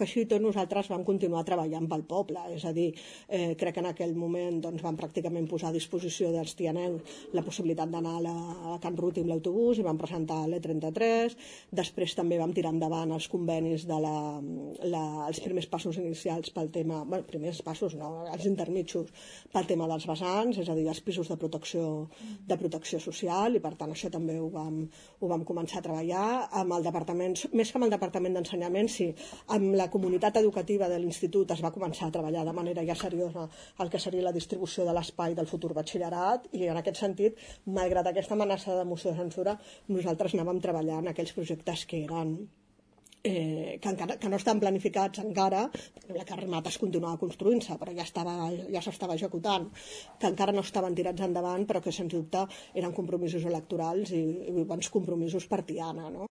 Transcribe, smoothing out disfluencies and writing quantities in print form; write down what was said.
així i tot nosaltres vam continuar treballant pel poble, és a dir, crec que en aquell moment doncs, vam pràcticament posar a disposició dels tianencs la possibilitat d'anar a Can Ruti amb l'autobús i vam presentar l'E33, després també vam tirar endavant els convenis els primers passos inicials pel tema, bueno, primers passos no, els intermitjos pel tema dels vessants, és a dir, els pisos de protecció social, i per tant això també ho vam començar a treballar amb el departament, més que amb el departament d'ensenyament, sí, amb la comunitat educativa de l'institut es va començar a treballar de manera ja seriosa el que seria la distribució de l'espai del futur batxillerat, i en aquest sentit, malgrat aquesta amenaça de moció de censura, nosaltres anàvem treballant aquells projectes que eren que no estan planificats encara, la Carremat es continuava construint-se, però ja s'estava executant, que encara no estaven tirats endavant, però que sens dubte eren compromisos electorals i bons compromisos per Tiana, no?